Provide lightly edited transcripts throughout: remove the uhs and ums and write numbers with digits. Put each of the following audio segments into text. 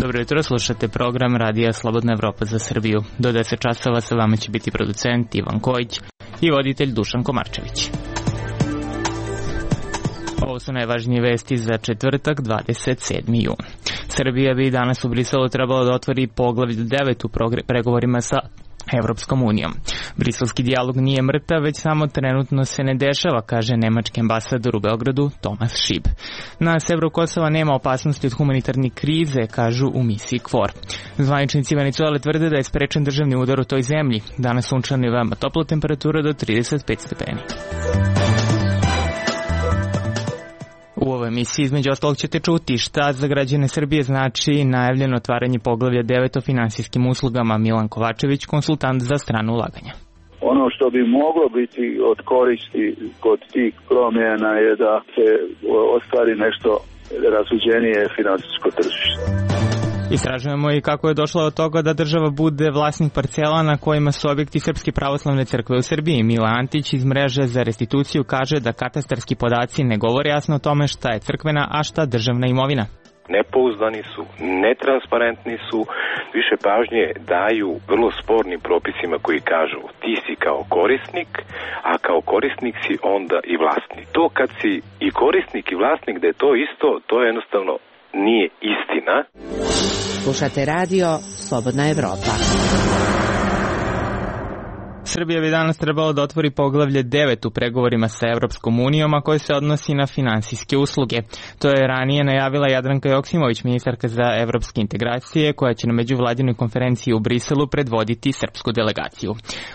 Dobro jutro, slušate program Radija Slobodna Evropa za Srbiju. Do 10 časova sa vama će biti producent Ivan Kojić i voditelj Dušan Komarčević. Ovo su najvažnije vesti za četvrtak, 27. jun. Srbija bi danas u Briselu trebalo da otvori poglavlje 9 u pregovorima sa Evropskom unijom. Briselski dijalog nije mrtav, već samo trenutno se ne dešava, kaže nemački ambasador u Beogradu Tomas Šib. Na severu Kosova nema opasnosti od humanitarne krize, kažu u misiji KFOR. Zvaničnici Venecuele tvrde da je sprečen državni udar u toj zemlji. Danas sunčano i veoma topla temperatura do 35 stepeni. U ovoj emisiji između ostalog ćete čuti šta za građane Srbije znači najavljeno otvaranje poglavlja 9 o finansijskim uslugama. Milan Kovačević, konsultant za strano ulaganja. Ono što bi moglo biti od koristi kod tih promjena je da se ostvari nešto razuđenije finansijsko tržište. Istražujemo i kako je došlo od toga da država bude vlasnik parcela na kojima su objekti Srpske pravoslavne crkve u Srbiji. Mila Antić iz mreže za restituciju kaže da katastarski podaci ne govore jasno o tome šta je crkvena, a šta državna imovina. Nepouzdani su, netransparentni su, više pažnje daju vrlo spornim propisima koji kažu ti si kao korisnik, a kao korisnik si onda i vlasnik. To kad si i korisnik i vlasnik da je to isto, to jednostavno nije istina. Slušate radio Slobodna Evropa. Srbija bi danas trebalo da otvori poglavlje 9 u pregovorima sa Evropskom unijom, a koje se odnosi na finansijske usluge. To je ranije najavila Jadranka Joksimović, ministarka za evropske integracije, koja će na međuvladinoj konferenciji u Briselu predvoditi srpsku delegaciju.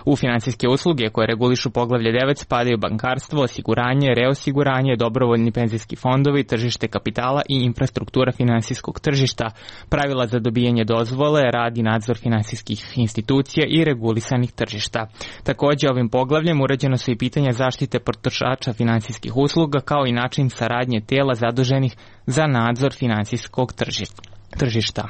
U finansijske usluge koje regulišu poglavlje 9 spadaju bankarstvo, osiguranje, reosiguranje, dobrovoljni penzijski fondovi, tržište kapitala i infrastruktura finansijskog tržišta, pravila za dobijanje dozvole, rad i nadzor finansijskih institucija i regulisanih tržišta. Takođe, ovim poglavljem uređeno su i pitanja zaštite potrošača finansijskih usluga, kao i način saradnje tela zaduženih za nadzor finansijskog tržišta.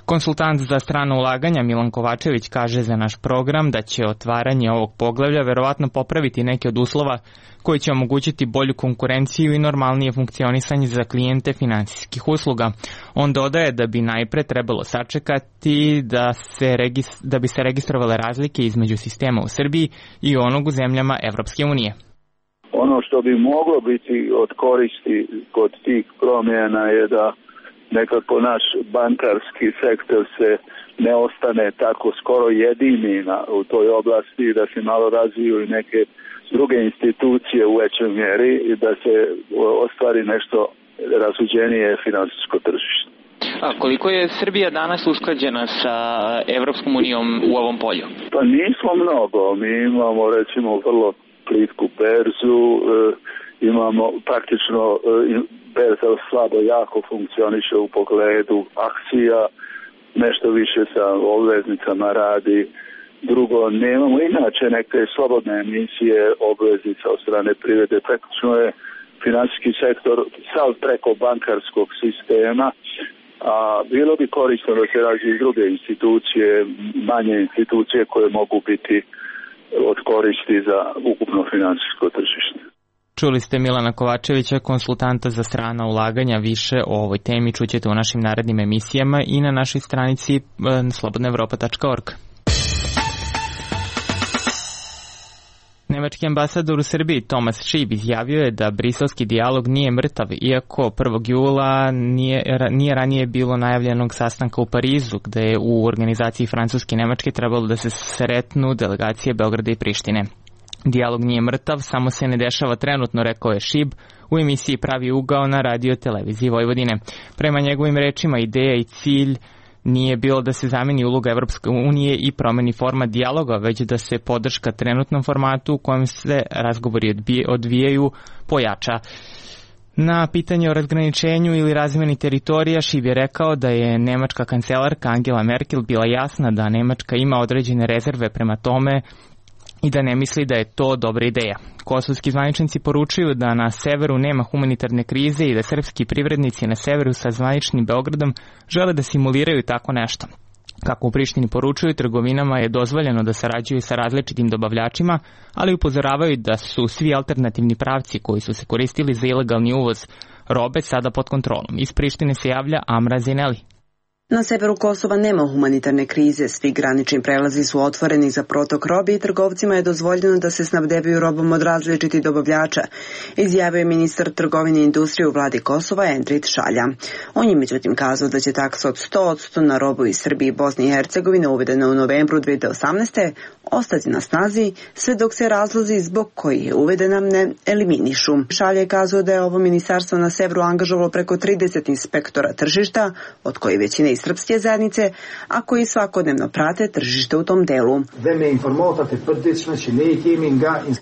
Konsultant za strano ulaganja Milan Kovačević kaže za naš program da će otvaranje ovog poglavlja verovatno popraviti neke od uslova koji će omogućiti bolju konkurenciju i normalnije funkcionisanje za klijente finansijskih usluga. On dodaje da bi najpre trebalo sačekati da bi se registrovale razlike između sistema u Srbiji i onog u zemljama Evropske unije. Ono što bi moglo biti od koristi kod tih promjena je da nekako naš bankarski sektor se ne ostane tako skoro jedini u toj oblasti, da se malo razviju i neke druge institucije u većoj mjeri i da se ostvari nešto razuđenije finansijsko tržište. A koliko je Srbija danas usklađena sa Evropskom unijom u ovom polju? Pa nismo mnogo. Mi imamo recimo vrlo plitku berzu, imamo praktično berza slabo jako funkcioniše u pogledu akcija, nešto više sa obveznicama radi. Drugo, nemamo inače neke slobodne emisije obveznica od strane privrede. Praktično je finansijski sektor sav preko bankarskog sistema, a bilo bi korisno da se razviju druge institucije, manje institucije koje mogu biti od koristi za ukupno finansijsko tržište. Čuli ste Milana Kovačevića, konsultanta za strana ulaganja. Više o ovoj temi čućete u našim narednim emisijama i na našoj stranici slobodnaevropa.org. Nemački ambasador u Srbiji Tomas Šib izjavio je da briselski dijalog nije mrtav, iako 1. jula nije ranije bilo najavljenog sastanka u Parizu, gde je u organizaciji Francuske i Nemačke trebalo da se sretnu delegacije Beograda i Prištine. Dijalog nije mrtav, samo se ne dešava trenutno, rekao je Šib u emisiji Pravi ugao na radio televiziji Vojvodine. Prema njegovim rečima, ideja i cilj nije bilo da se zameni uloga Evropske unije i promeni format dijaloga, već da se podrška trenutnom formatu u kojem se razgovori odvijaju pojača. Na pitanje o razgraničenju ili razmeni teritorija, Šib je rekao da je nemačka kancelarka Angela Merkel bila jasna da Nemačka ima određene rezerve prema tome i da ne misli da je to dobra ideja. Kosovski zvaničnici poručuju da na severu nema humanitarne krize i da srpski privrednici na severu sa zvaničnim Beogradom žele da simuliraju tako nešto. Kako u Prištini poručuju, trgovinama je dozvoljeno da sarađuju sa različitim dobavljačima, ali upozoravaju da su svi alternativni pravci koji su se koristili za ilegalni uvoz robe sada pod kontrolom. Iz Prištine se javlja Amra Zineli. Na severu Kosova nema humanitarne krize, svi granični prelazi su otvoreni za protok robe i trgovcima je dozvoljeno da se snabdevaju robom od različitih dobavljača, izjavio je ministar trgovine i industrije u vladi Kosova Endrit Šalja. On je međutim kazao da će taksa od 100% na robu iz Srbije i Bosne i Hercegovine uvedena u novembru 2018. ostati na snazi sve dok se razlozi zbog kojih je uvedena ne eliminišu. Šalja je kazao da je ovo ministarstvo na severu angažovalo preko 30 inspektora tržišta, od koji većina iz srpske zajednice, a koji svakodnevno prate tržište u tom delu.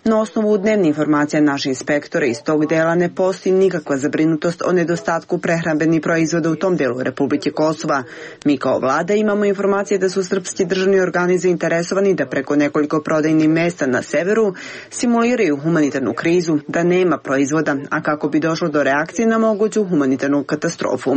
Na osnovu dnevne informacije naših inspektora iz tog dela ne postoji nikakva zabrinutost o nedostatku prehrambenih proizvoda u tom delu Republike Kosova. Mi kao vlada imamo informacije da su srpski državni organi zainteresovani da preko nekoliko prodajnih mesta na severu simuliraju humanitarnu krizu, da nema proizvoda, a kako bi došlo do reakcije na moguću humanitarnu katastrofu.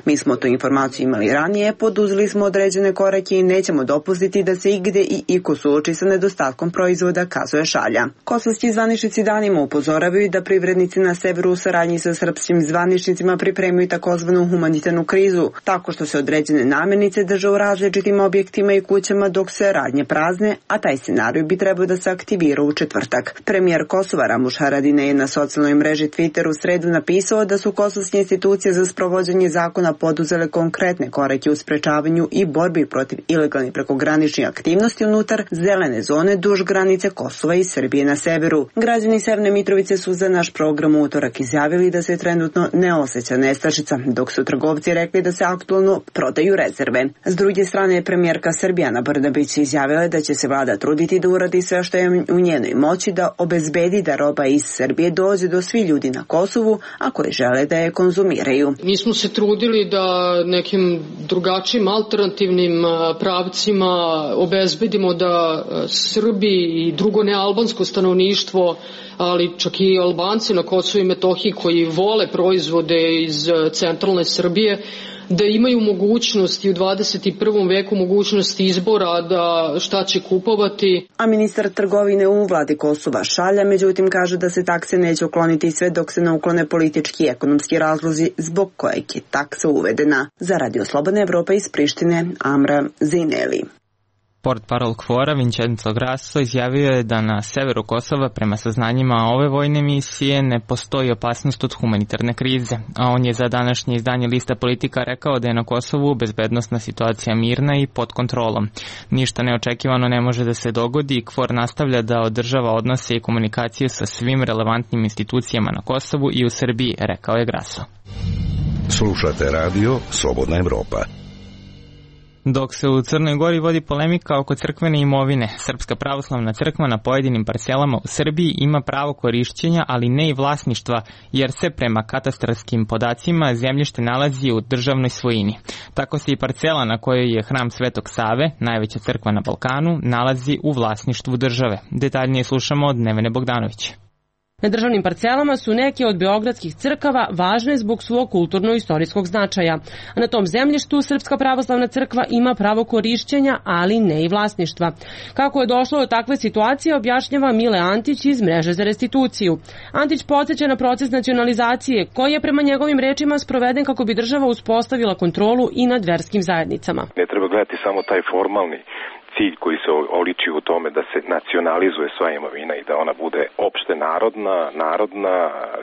Mi smo tu informaciju imali ranije, poduzeli smo određene korake i nećemo dopustiti da se igde i iko suoči sa nedostatkom proizvoda, kazuje Šalja. Kosovski zvaničnici danima upozoravaju da privrednici na severu u saradnji sa srpskim zvaničnicima pripremaju takozvanu humanitarnu krizu, tako što se određene namirnice drže u različitim objektima i kućama dok se radnje prazne, a taj scenarij bi trebao da se aktivira u četvrtak. Premijer Kosova Ramuš Haradinaj je na socijalnoj mreži Twitter u sredu napisao da su kosovske institucije za sprovođenje zakona poduzele konkretne korake u sprečavanju i borbi protiv ilegalnih prekograničnih aktivnosti unutar zelene zone duž granice Kosova i Srbije na severu. Građani Severne Mitrovice su za naš program u utorak izjavili da se trenutno ne osjeća nestašica, dok su trgovci rekli da se aktualno prodaju rezerve. S druge strane, premijerka Srbije Ana Brnabić izjavila da će se vlada truditi da uradi sve što je u njenoj moći da obezbedi da roba iz Srbije dođe do svih ljudi na Kosovu, a koji žele da je konzumiraju. Mi smo se trudili da nekim drugačijim alternativnim pravcima obezbedimo da Srbi i drugo nealbansko stanovništvo, ali čak i Albanci na Kosovu i Metohiji koji vole proizvode iz centralne Srbije, da imaju mogućnost i u 21. veku mogućnost izbora da šta će kupovati. A ministar trgovine u vladi Kosova Šalja međutim kaže da se takse neće ukloniti sve dok se ne uklone politički i ekonomski razlozi zbog kojeg je taksa uvedena. Za Radio Slobodna Evropa iz Prištine, Amra Zineli. Portparol KFOR-a Vincenzo Grasso izjavio je da na severu Kosova prema saznanjima ove vojne misije ne postoji opasnost od humanitarne krize, a on je za današnje izdanje Lista Politika rekao da je na Kosovu bezbednosna situacija mirna i pod kontrolom. Ništa neočekivano ne može da se dogodi i KFOR nastavlja da održava odnose i komunikaciju sa svim relevantnim institucijama na Kosovu i u Srbiji, rekao je Grasso. Slušate radio Slobodna Evropa. Dok se u Crnoj Gori vodi polemika oko crkvene imovine, Srpska pravoslavna crkva na pojedinim parcelama u Srbiji ima pravo korišćenja, ali ne i vlasništva, jer se prema katastarskim podacima zemljište nalazi u državnoj svojini. Tako se i parcela na kojoj je hram Svetog Save, najveća crkva na Balkanu, nalazi u vlasništvu države. Detaljnije slušamo od Nevene Bogdanovića. Na državnim parcelama su neke od beogradskih crkava važne zbog svog kulturno-istorijskog značaja. A na tom zemljištu Srpska pravoslavna crkva ima pravo korišćenja, ali ne i vlasništva. Kako je došlo do takve situacije, objašnjava Mile Antić iz Mreže za restituciju. Antić podsjeća na proces nacionalizacije, koji je prema njegovim rečima sproveden kako bi država uspostavila kontrolu i nad verskim zajednicama. Ne treba gledati samo taj formalni cilj koji se oliči u tome da se nacionalizuje sva imovina i da ona bude opšte narodna,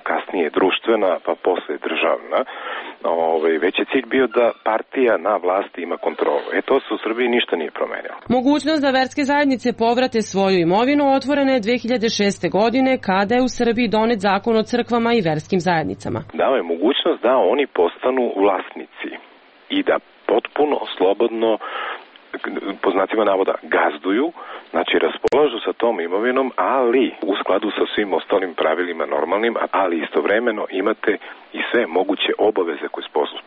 kasnije društvena, pa posle državna. Već je cilj bio da partija na vlasti ima kontrolu. To se u Srbiji ništa nije promenilo. Mogućnost da verske zajednice povrate svoju imovinu otvorena je 2006. godine kada je u Srbiji donet zakon o crkvama i verskim zajednicama. Dao je mogućnost da oni postanu vlasnici i da potpuno slobodno, po znacima navoda, gazduju, znači raspolažu sa tom imovinom, ali u skladu sa svim ostalim pravilima normalnim, ali istovremeno imate i sve moguće obaveze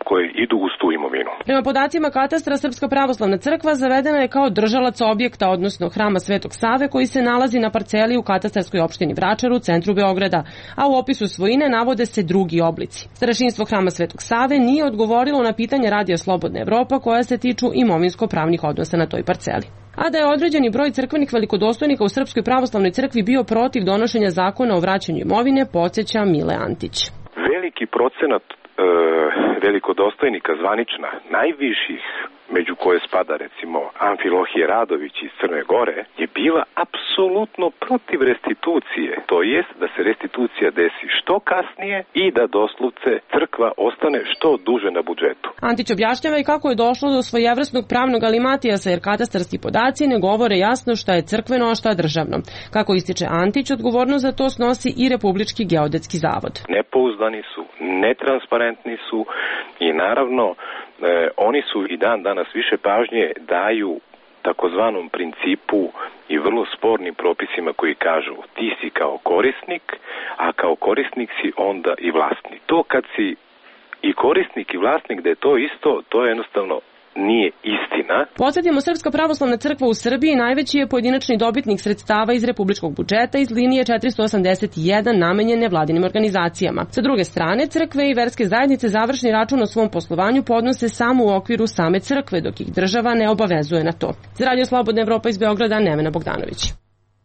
koje idu uz tu imovinu. Prema podacima katastra, Srpska pravoslavna crkva zavedena je kao držalac objekta, odnosno hrama Svetog Save, koji se nalazi na parceli u katastarskoj opštini Vračar u centru Beograda, a u opisu svojine navode se drugi oblici. Starešinstvo hrama Svetog Save nije odgovorilo na pitanje Radija Slobodna Evropa koja se tiču imovinsko-pravnih odnosa na toj parceli. A da je određeni broj crkvenih velikodostojnika u Srpskoj pravoslavnoj crkvi bio protiv donošenja zakona o vraćanju imovine, podsjeća Mile Antić. Veliki procenat velikodostojnika zvanična, najviših, među koje spada recimo Amfilohije Radović iz Crne Gore, je bila apsolutno protiv restitucije, to jest da se restitucija desi što kasnije i da doslovce crkva ostane što duže na budžetu. Antić objašnjava i kako je došlo do svojevrsnog pravnog alimatijasa, jer katastarski podaci ne govore jasno šta je crkveno, a šta državno. Kako ističe Antić, odgovornost za to snosi i Republički geodetski zavod. Nepouzdani su, netransparentni su i naravno oni su i dan danas više pažnje daju takozvanom principu i vrlo spornim propisima koji kažu ti si kao korisnik, a kao korisnik si onda i vlasnik. To kad si i korisnik i vlasnik da je to isto, to je jednostavno nije istina. Podsjetimo, Srpska pravoslavna crkva u Srbiji najveći je pojedinačni dobitnik sredstava iz republičkog budžeta iz linije 481 namenjene vladinim organizacijama. Sa druge strane, crkve i verske zajednice završni račun o svom poslovanju podnose samo u okviru same crkve, dok ih država ne obavezuje na to. Za Radio Slobodna Evropa iz Beograda, Nevena Bogdanović.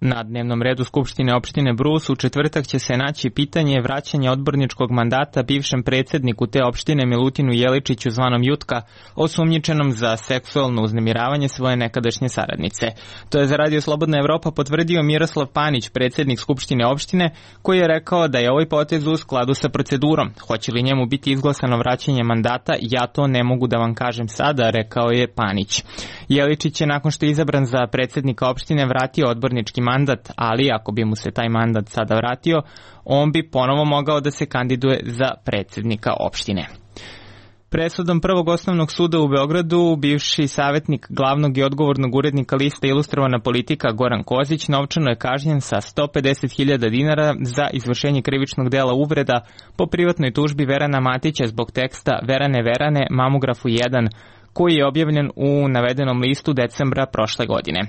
Na dnevnom redu Skupštine opštine Brus u četvrtak će se naći pitanje vraćanja odborničkog mandata bivšem predsjedniku te opštine Milutinu Jeličiću zvanom Jutka, osumnjičenom za seksualno uznemiravanje svoje nekadašnje saradnice. To je za Radio Slobodna Evropa potvrdio Miroslav Panić, predsjednik Skupštine opštine, koji je rekao da je ovaj potez u skladu sa procedurom. Hoće li njemu biti izglasano vraćanje mandata, ja to ne mogu da vam kažem sada, rekao je Panić. Jeličić je nakon što je izabran za predsjednika opštine vratio odbornički mandat, ali ako bi mu se taj mandat sada vratio, on bi ponovo mogao da se kandiduje za predsjednika opštine. Presudom Prvog osnovnog suda u Beogradu, bivši savjetnik glavnog i odgovornog urednika lista Ilustrovana politika Goran Kozić novčano je kažnjen sa 150.000 dinara za izvršenje krivičnog dela uvreda po privatnoj tužbi Verana Matića zbog teksta Verane, Mamografu 1, koji je objavljen u navedenom listu decembra prošle godine.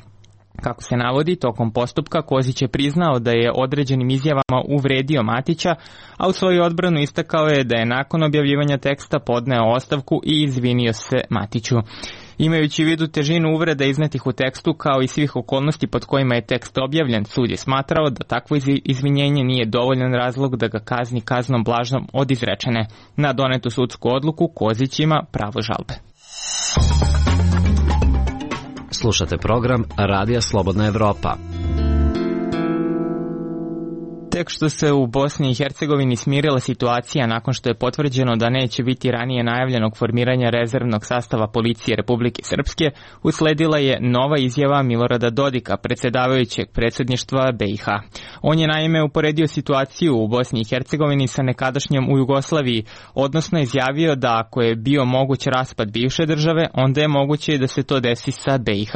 Kako se navodi, tokom postupka Kozić je priznao da je određenim izjavama uvredio Matića, a u svoju odbranu istakao je da je nakon objavljivanja teksta podneo ostavku i izvinio se Matiću. Imajući u vidu težinu uvreda iznetih u tekstu kao i svih okolnosti pod kojima je tekst objavljen, sud je smatrao da takvo izvinjenje nije dovoljan razlog da ga kazni kaznom blažom od izrečene. Na donetu sudsku odluku Kozić ima pravo žalbe. Slušate program Radija Slobodna Evropa. Tek što se u Bosni i Hercegovini smirila situacija nakon što je potvrđeno da neće biti ranije najavljenog formiranja rezervnog sastava policije Republike Srpske, usledila je nova izjava Milorada Dodika, predsjedavajućeg predsjedništva BiH. On je naime uporedio situaciju u Bosni i Hercegovini sa nekadašnjom u Jugoslaviji, odnosno izjavio da ako je bio moguć raspad bivše države, onda je moguće da se to desi sa BiH.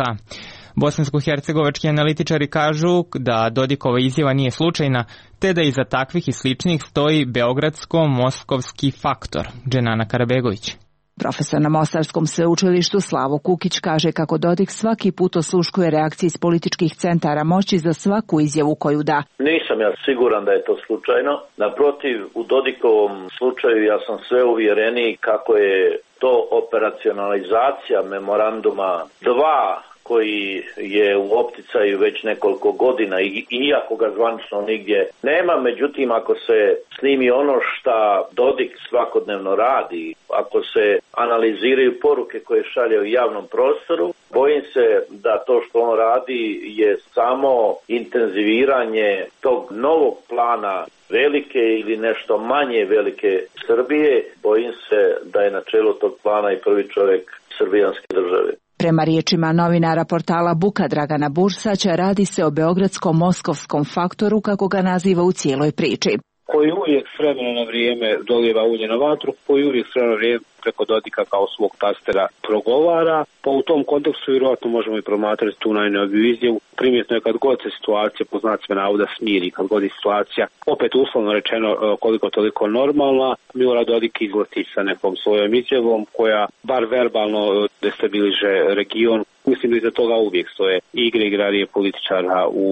Bosansko-hercegovački analitičari kažu da Dodikova izjava nije slučajna, te da iza takvih i sličnih stoji beogradsko-moskovski faktor. Dženana Karabegović. Profesor na Mostarskom sveučilištu Slavo Kukić kaže kako Dodik svaki put osluškuje reakcije iz političkih centara moći za svaku izjavu koju da. Nisam ja siguran da je to slučajno. Naprotiv, u Dodikovom slučaju ja sam sve uvjereniji kako je to operacionalizacija memoranduma 2 koji je u opticaju već nekoliko godina, iako ga zvanično nigdje nema. Međutim, ako se snimi ono šta Dodik svakodnevno radi, ako se analiziraju poruke koje šalje u javnom prostoru, bojim se da to što on radi je samo intenziviranje tog novog plana velike ili nešto manje velike Srbije. Bojim se da je na čelu tog plana i prvi čovjek srbijanske države. Prema riječima novinara portala Buka Dragana Bursać, radi se o beogradsko-moskovskom faktoru, kako ga naziva u cijeloj priči. Koji uvijek s vremena na vrijeme dolijeva ulje na vatru, koji uvijek s vremena na vrijeme preko Dodika kao svog tastera progovara. Pa u tom kontekstu vjerojatno možemo i promatrati tu najnoviju izjavu. Primjetno je kad god se situacija po znacima navoda smiri, kad god je situacija opet uslovno rečeno koliko toliko normalna, Milorad Dodik izleti sa nekom svojom izjavom koja bar verbalno destabiliže region. Mislim da iza toga uvijek stoje igre igrarije političara u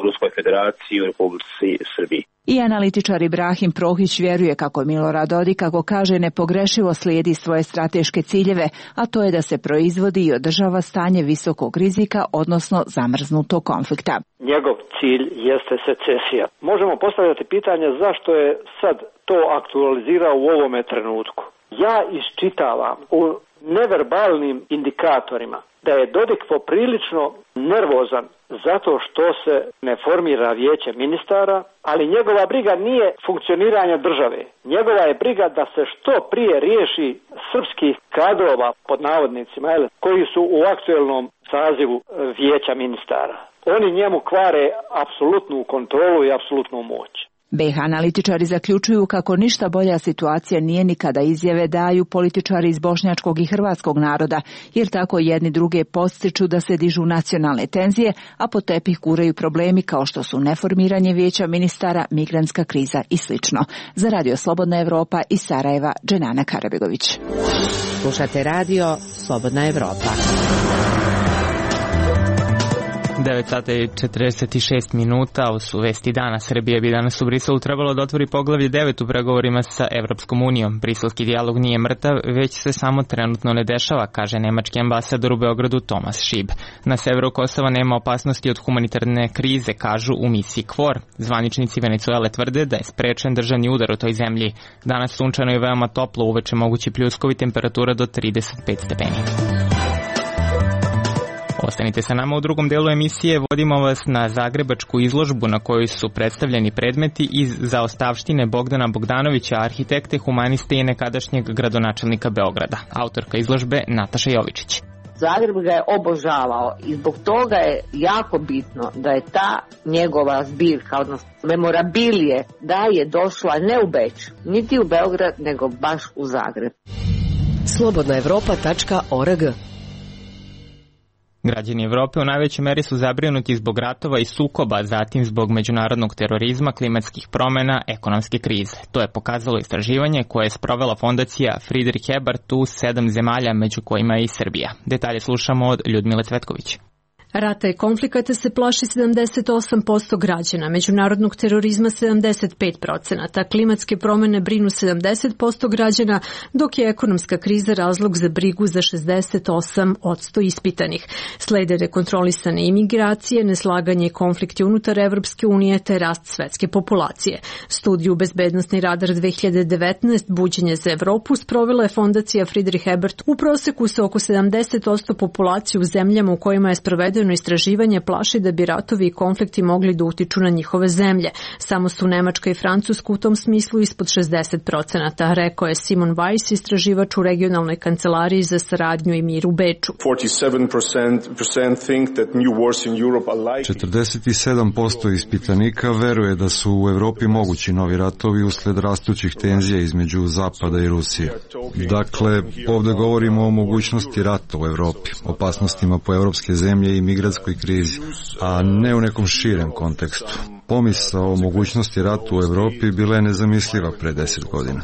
Ruskoj federaciji i u Republici Srbiji. I analitičar Ibrahim Prohić vjeruje kako Milorad Dodik, kako kaže, nepogrešivo slijedi svoje strateške ciljeve, a to je da se proizvodi i održava stanje visokog rizika, odnosno zamrznutog konflikta. Njegov cilj jeste secesija. Možemo postavljati pitanje zašto je sad to aktualizirao u ovome trenutku. Ja iščitavam u neverbalnim indikatorima da je Dodik poprilično nervozan zato što se ne formira vijeće ministara, ali njegova briga nije funkcioniranje države. Njegova je briga da se što prije riješi srpskih kadrova, pod navodnicima, koji su u aktuelnom sazivu vijeća ministara. Oni njemu kvare apsolutnu kontrolu i apsolutnu moć. BiH analitičari zaključuju kako ništa bolja situacija nije ni kada izjave daju političari iz bošnjačkog i hrvatskog naroda, jer tako jedni druge podstiču da se dižu nacionalne tenzije, a pod tepih guraju problemi kao što su neformiranje vijeća ministara, migrantska kriza i sl. Za Radio Slobodna Evropa iz Sarajeva, Dženana Karabegović. Slušate Radio Slobodna Evropa. 9 sata i 46 minuta, ovo su vesti dana. Srbija bi danas u Briselu trebalo da otvori poglavlje 9 u pregovorima sa Evropskom unijom. Briselski dijalog nije mrtav, već se samo trenutno ne dešava, kaže nemački ambasador u Beogradu Tomas Šib. Na severu Kosova nema opasnosti od humanitarne krize, kažu u misiji KFOR. Zvaničnici Venecuele tvrde da je sprečen državni udar u toj zemlji. Danas sunčano i veoma toplo, uveče mogući pljuskovi, temperatura do 35 stepeni. Ostanite sa nama u drugom delu emisije, vodimo vas na zagrebačku izložbu na kojoj su predstavljeni predmeti iz zaostavštine Bogdana Bogdanovića, arhitekte, humaniste i nekadašnjeg gradonačelnika Beograda. Autorka izložbe Nataša Jovičić. Zagreb ga je obožavao i zbog toga je jako bitno da je ta njegova zbirka, odnosno memorabilije, da je došla ne u Beč, niti u Beograd, nego baš u Zagreb. Slobodnaevropa.org. Građani Evrope u najvećoj meri su zabrinuti zbog ratova i sukoba, zatim zbog međunarodnog terorizma, klimatskih promjena, ekonomske krize. To je pokazalo istraživanje koje je sprovela fondacija Friedrich Ebert u 7 zemalja, među kojima je i Srbija. Detalje slušamo od Ljudmile Cvetković. Rata i konflikata se plaši 78% građana, međunarodnog terorizma 75%, klimatske promjene brinu 70% građana, dok je ekonomska kriza razlog za brigu za 68% ispitanih. Slede nekontrolisane imigracije, neslaganje i konflikti unutar Evropske unije te rast svetske populacije. Studiju Bezbednosni radar 2019 Buđenje za Evropu sprovela je fondacija Friedrich Ebert. U proseku se oko 70% populacije u zemljama u kojima je sprovedeno istraživanje plaši da bi ratovi i konflikti mogli da utiču na njihove zemlje. Samo su Nemačka i Francuska u tom smislu ispod 60%, rekao je Simon Weiss, istraživač u regionalnoj kancelariji za saradnju i mir u Beču. 47% ispitanika veruje da su u Evropi mogući novi ratovi usled rastućih tenzija između Zapada i Rusije. Dakle, ovdje govorimo o mogućnosti rata u Evropi, opasnostima po evropske zemlje i migratskoj krizi, a ne u nekom širem kontekstu. Pomisao o mogućnosti rata u Evropi bila je nezamisliva pre 10 godina.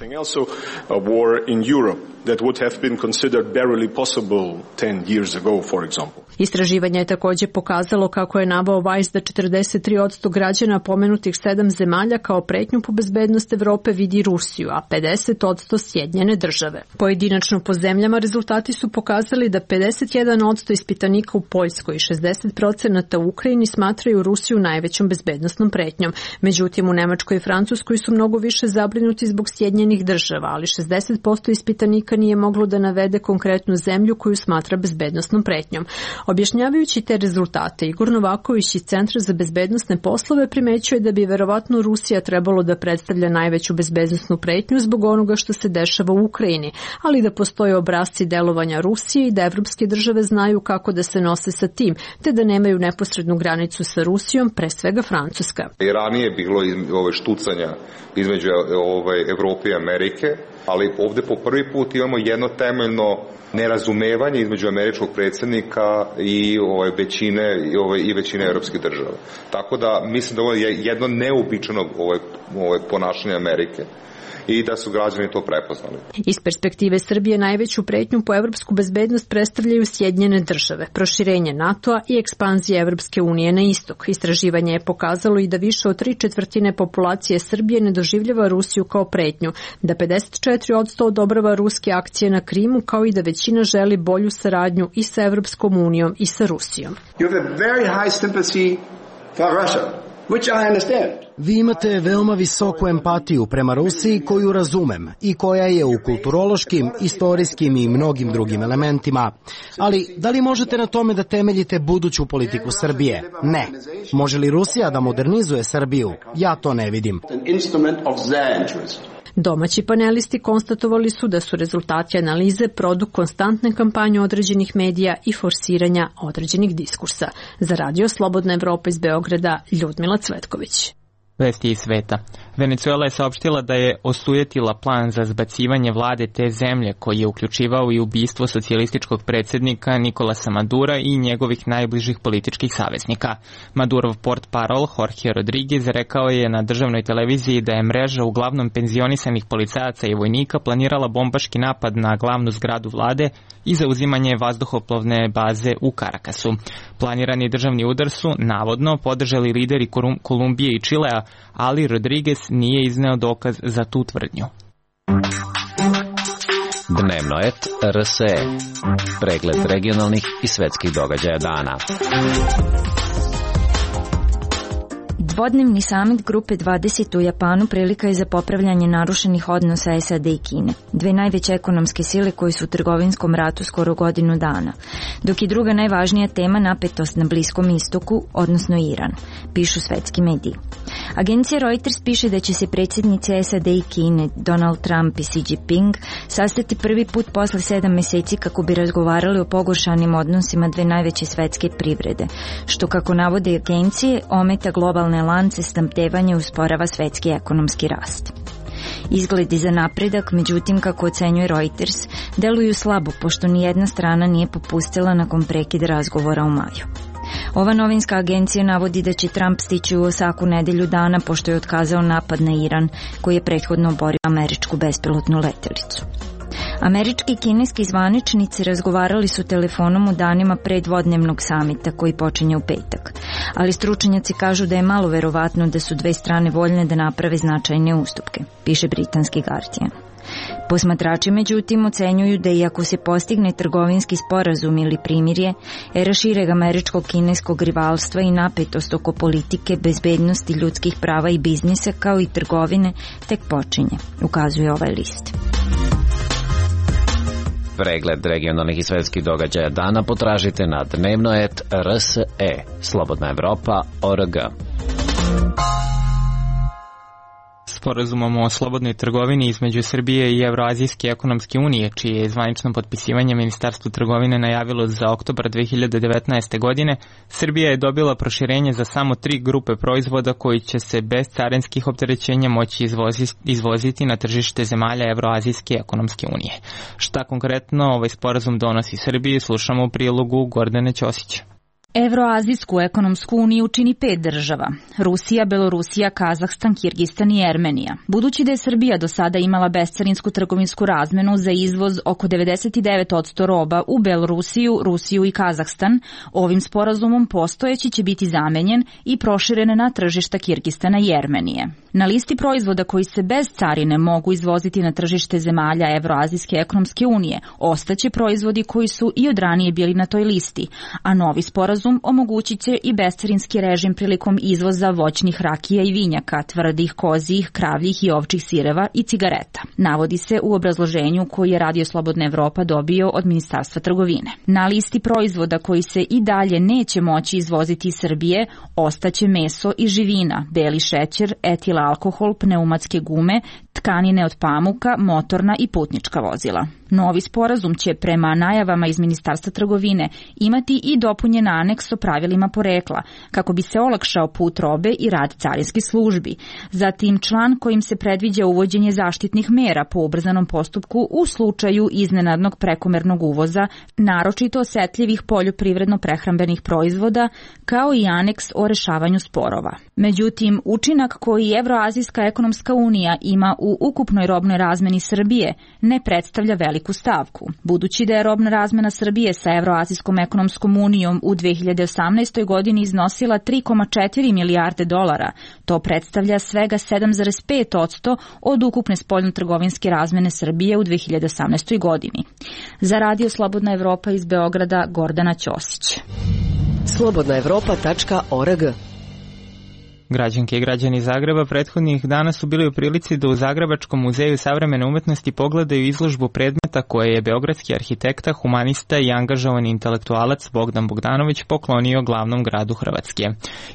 Istraživanje je također pokazalo, kako je naveo Weiss, da 43% građana pomenutih 7 zemalja kao pretnju po bezbednost Evrope vidi Rusiju, a 50% Sjedinjene države. Pojedinačno po zemljama rezultati su pokazali da 51% ispitanika u Poljskoj i 60% u Ukrajini smatraju Rusiju najvećom bezbednosnom pretnjom. Međutim, u Nemačkoj i Francuskoj su mnogo više zabrinuti zbog Sjedinjenih država, ali 60% ispitanika nije moglo da navede konkretnu zemlju koju smatra bezbednosnom pretnjom. Objašnjavajući te rezultate, Igor Novaković iz Centra za bezbednosne poslove primećuje da bi verovatno Rusija trebalo da predstavlja najveću bezbednosnu pretnju zbog onoga što se dešava u Ukrajini, ali da postoje obrasci delovanja Rusije i da evropske države znaju kako da se nose sa tim, te da nemaju neposrednu granicu sa Rusijom, pre svega Francuska. Turska. I ranije je bilo štucanja između Evrope i Amerike, ali ovde po prvi put imamo jedno temeljno nerazumevanje između američkog predsjednika i većine evropskih država. Tako da mislim da ovo je jedno neobičano ponašanje Amerike i da su građani to prepoznali. Iz perspektive Srbije najveću pretnju po evropsku bezbednost predstavljaju Sjedinjene države, proširenje NATO-a i ekspanzija Evropske unije na istok. Istraživanje je pokazalo i da više od 3/4 populacije Srbije ne doživljava Rusiju kao pretnju, da 54% odobrava ruske akcije na Krimu, kao i da većina želi bolju saradnju i sa Evropskom unijom i sa Rusijom. You have a very high sympathy for Russia, which I understand. Vi imate veoma visoku empatiju prema Rusiji koju razumem i koja je u kulturološkim, istorijskim i mnogim drugim elementima. Ali da li možete na tome da temeljite buduću politiku Srbije? Ne. Može li Rusija da modernizuje Srbiju? Ja to ne vidim. Domaći panelisti konstatovali su da su rezultati analize produkt konstantne kampanje određenih medija i forsiranja određenih diskursa. Za Radio Slobodna Evropa iz Beograda, Ljudmila Cvetković. Vesti iz sveta. Venecuela je saopštila da je osujetila plan za zbacivanje vlade te zemlje koji je uključivao i ubistvo socijalističkog predsjednika Nikolasa Madura i njegovih najbližih političkih saveznika. Madurov portparol Jorge Rodriguez rekao je na državnoj televiziji da je mreža uglavnom penzionisanih policajaca i vojnika planirala bombaški napad na glavnu zgradu vlade i zauzimanje vazduhoplovne baze u Karakasu. Planirani državni udar su, navodno, podržali lideri Kolumbije i Čilea, ali Rodriguez nije izneo dokaz za tu tvrdnju. Dnevnoet RSE. Pregled regionalnih i svetskih događaja dana. Dvodnevni samit Grupe 20 u Japanu prilika je za popravljanje narušenih odnosa SAD i Kine, dve najveće ekonomske sile koje su u trgovinskom ratu skoro godinu dana, dok je druga najvažnija tema napetost na Bliskom istoku, odnosno Iran, pišu svetski mediji. Agencija Reuters piše da će se predsjednici SAD i Kine, Donald Trump i Xi Jinping, sastati prvi put posle 7 meseci kako bi razgovarali o pogoršanim odnosima dve najveće svetske privrede, što, kako navode agencije, ometa globalne lance snabdevanja i usporava svetski ekonomski rast. Izgledi za napredak, međutim, kako ocenjuje Reuters, deluju slabo, pošto nijedna strana nije popustila nakon prekida razgovora u maju. Ova novinska agencija navodi da će Trump stići u Osaku nedelju dana pošto je otkazao napad na Iran, koji je prethodno oborio američku bespilotnu letelicu. Američki i kineski zvaničnici razgovarali su telefonom u danima pre dvodnevnog samita koji počinje u petak, ali stručnjaci kažu da je malo verovatno da su dve strane voljne da naprave značajne ustupke, piše britanski Guardian. Posmatrači, međutim, ocenjuju da iako se postigne trgovinski sporazum ili primirje, era šireg američko-kineskog rivalstva i napetost oko politike, bezbednosti, ljudskih prava i biznisa kao i trgovine tek počinje, ukazuje ovaj list. Pregled regionalnih i svetskih događaja dana potražite na Dnevnoet RSE, Slobodna Evropa.org. Sporazumom o slobodnoj trgovini između Srbije i Evroazijske ekonomske unije, čije je zvanično potpisivanje Ministarstvo trgovine najavilo za oktobar 2019. godine, Srbija je dobila proširenje za samo 3 grupe proizvoda koji će se bez carinskih opterećenja moći izvoziti na tržište zemalja Evroazijske ekonomske unije. Šta konkretno ovaj sporazum donosi Srbiji, slušamo u prilogu Gordane Ćosića. Evroazijsku ekonomsku uniju čini 5 država: Rusija, Belorusija, Kazahstan, Kirgistan i Ermenija. Budući da je Srbija do sada imala bescarinsku trgovinsku razmenu za izvoz oko 99% roba u Belorusiju, Rusiju i Kazahstan, ovim sporazumom postojeći će biti zamenjen i proširen na tržišta Kirgistana i Ermenije. Na listi proizvoda koji se bez carine mogu izvoziti na tržište zemalja Evroazijske ekonomske unije ostaće proizvodi koji su i od ranije bili na toj listi, a novi sporazum omogućit će i bescarinski režim prilikom izvoza voćnih rakija i vinjaka, tvrdih, kozijih, kravljih i ovčih sireva i cigareta. Navodi se u obrazloženju koji je Radio Slobodna Evropa dobio od Ministarstva trgovine. Na listi proizvoda koji se i dalje neće moći izvoziti iz Srbije ostaće meso i živina, beli šećer, etil alkohol, pneumatske gume, tkanine od pamuka, motorna i putnička vozila. Novi sporazum će prema najavama iz Ministarstva trgovine imati i dopunjen aneks o pravilima porekla, kako bi se olakšao put robe i rad carinskih službi. Zatim član kojim se predviđa uvođenje zaštitnih mera po ubrzanom postupku u slučaju iznenadnog prekomernog uvoza, naročito osetljivih poljoprivredno-prehrambenih proizvoda, kao i aneks o rešavanju sporova. Međutim, učinak koji Evroazijska ekonomska unija ima u ukupnoj robnoj razmeni Srbije ne predstavlja veliku stavku. Budući da je robna razmena Srbije sa Evroazijskom ekonomskom unijom u 2018. godini iznosila 3,4 milijarde dolara, to predstavlja svega 7,5% od ukupne spoljnotrgovinske razmene Srbije u 2018. godini. Za Radio Slobodna Evropa iz Beograda, Gordana Ćosić. slobodnaevropa.org. Građanke i građani Zagreba prethodnih dana su bili u prilici da u Zagrebačkom muzeju savremene umetnosti pogledaju izložbu predmeta koje je beogradski arhitekta, humanista i angažovani intelektualac Bogdan Bogdanović poklonio glavnom gradu Hrvatske.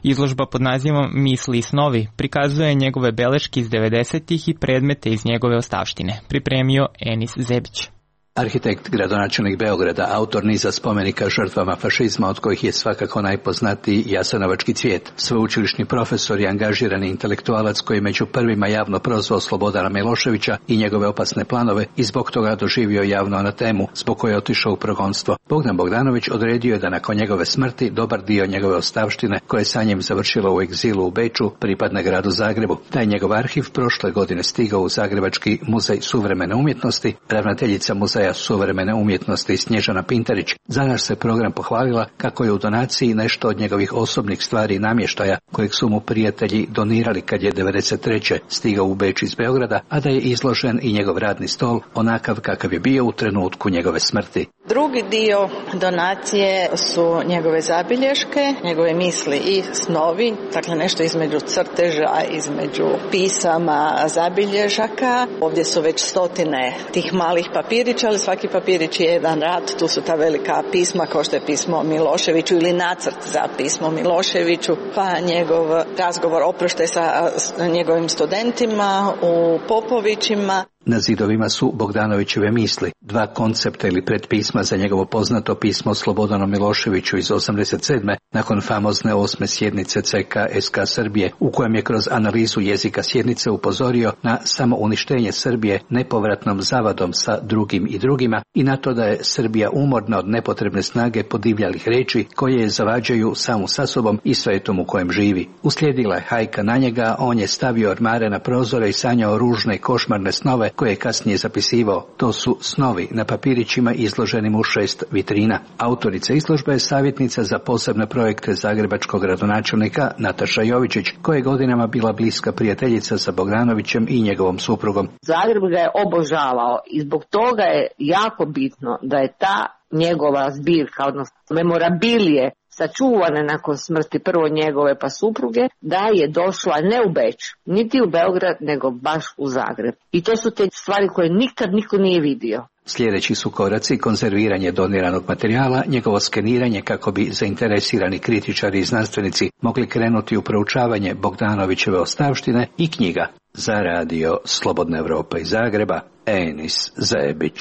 Izložba pod nazivom Misli i snovi prikazuje njegove beleške iz 90-ih i predmete iz njegove ostavštine. Pripremio Enis Zebić. Arhitekt, gradonačelnik Beograda, autor niza spomenika žrtvama fašizma, od kojih je svakako najpoznatiji Jasenovački cvijet. Sveučilišni profesor i angažirani intelektualac koji među prvima javno prozvao Slobodana Miloševića i njegove opasne planove i zbog toga doživio javnu anatemu, zbog koje je otišao u progonstvo. Bogdan Bogdanović odredio je da nakon njegove smrti dobar dio njegove ostavštine, koje je sa njim završilo u egzilu u Beču, pripadne gradu Zagrebu. Taj njegov arhiv prošle godine stigao u Zagrebački muzej suvremene umjetnosti. Ravnateljica muzeja suvremene umjetnosti Snježana Pintarić za naš se program pohvalila kako je u donaciji nešto od njegovih osobnih stvari i namještaja kojeg su mu prijatelji donirali kad je 1993. stigao u Beč iz Beograda, a da je izložen i njegov radni stol onakav kakav je bio u trenutku njegove smrti. Drugi dio donacije su njegove zabilješke, njegove misli i snovi, dakle nešto između crteža, između pisama, zabilježaka. Ovdje su već stotine tih malih papirića, ali svaki papirić je jedan rad. Tu su ta velika pisma kao što je pismo Miloševiću ili nacrt za pismo Miloševiću, pa njegov razgovor oproštaj sa njegovim studentima u Popovićima. Na zidovima su Bogdanovićeve misli, dva koncepta ili predpisma za njegovo poznato pismo Slobodanu Miloševiću iz 87. nakon famozne 8. sjednice CK SK Srbije, u kojem je kroz analizu jezika sjednice upozorio na samouništenje Srbije nepovratnom zavadom sa drugim i drugima i na to da je Srbija umorna od nepotrebne snage podivljalih reči koje je zavađaju samu sa sobom i svetom u kojem živi. Uslijedila je hajka na njega, on je stavio ormare na prozore i sanjao ružne i košmarne snove koje je kasnije zapisivao. To su snovi na papirićima izloženim u 6 vitrina. Autorica izložbe je savjetnica za posebne projekte zagrebačkog gradonačelnika Nataša Jovičić, koja je godinama bila bliska prijateljica sa Bogdanovićem i njegovom suprugom. Zagreb ga je obožavao i zbog toga je jako bitno da je ta njegova zbirka, odnosno memorabilije, sačuvane nakon smrti prvo njegove pa supruge, da je došla ne u Beč, niti u Beograd, nego baš u Zagreb. I to su te stvari koje nikad niko nije vidio. Sljedeći su koraci konzerviranje doniranog materijala, njegovo skeniranje kako bi zainteresirani kritičari i znanstvenici mogli krenuti u proučavanje Bogdanovićeve ostavštine i knjiga. Za radio Slobodna Evropa iz Zagreba, Enis Zebić.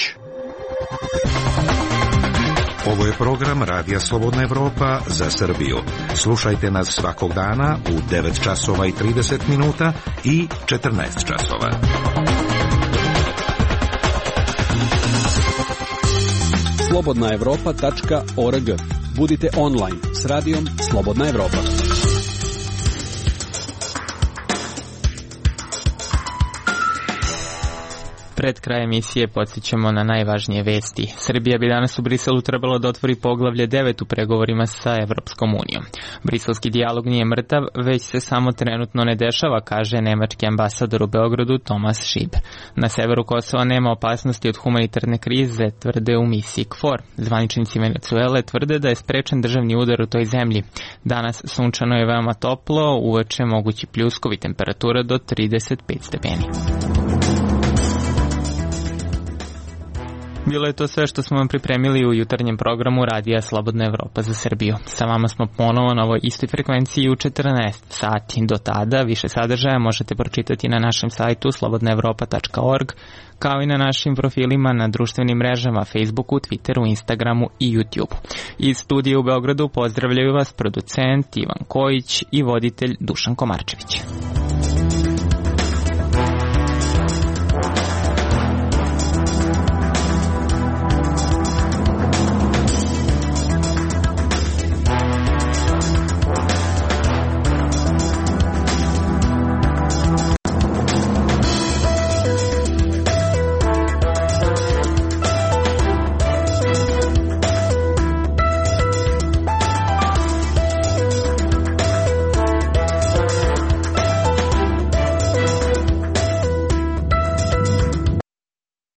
Ovo je program Radija Slobodna Evropa za Srbiju. Slušajte nas svakog dana u 9 časova i 30 minuta i 14 časova. slobodnaevropa.org. Budite online s radijom Slobodna Evropa. Pred kraj emisije podsjećamo na najvažnije vesti. Srbija bi danas u Briselu trebalo da otvori poglavlje 9 u pregovorima sa Evropskom unijom. Briselski dijalog nije mrtav, već se samo trenutno ne dešava, kaže nemački ambasador u Beogradu Tomas Šiber. Na severu Kosova nema opasnosti od humanitarne krize, tvrde u misiji KFOR. Zvaničnici Venecuele tvrde da je sprečen državni udar u toj zemlji. Danas sunčano je veoma toplo, uveče mogući pljuskovi, temperatura do 35 stepeni. Bilo je to sve što smo vam pripremili u jutarnjem programu Radija Slobodna Evropa za Srbiju. Sa vama smo ponovo na ovoj istoj frekvenciji u 14 sati. Do tada više sadržaja možete pročitati na našem sajtu slobodnaevropa.org, kao i na našim profilima na društvenim mrežama Facebooku, Twitteru, Instagramu i YouTubeu. Iz studija u Beogradu pozdravljaju vas producent Ivan Kojić i voditelj Dušan Komarčević.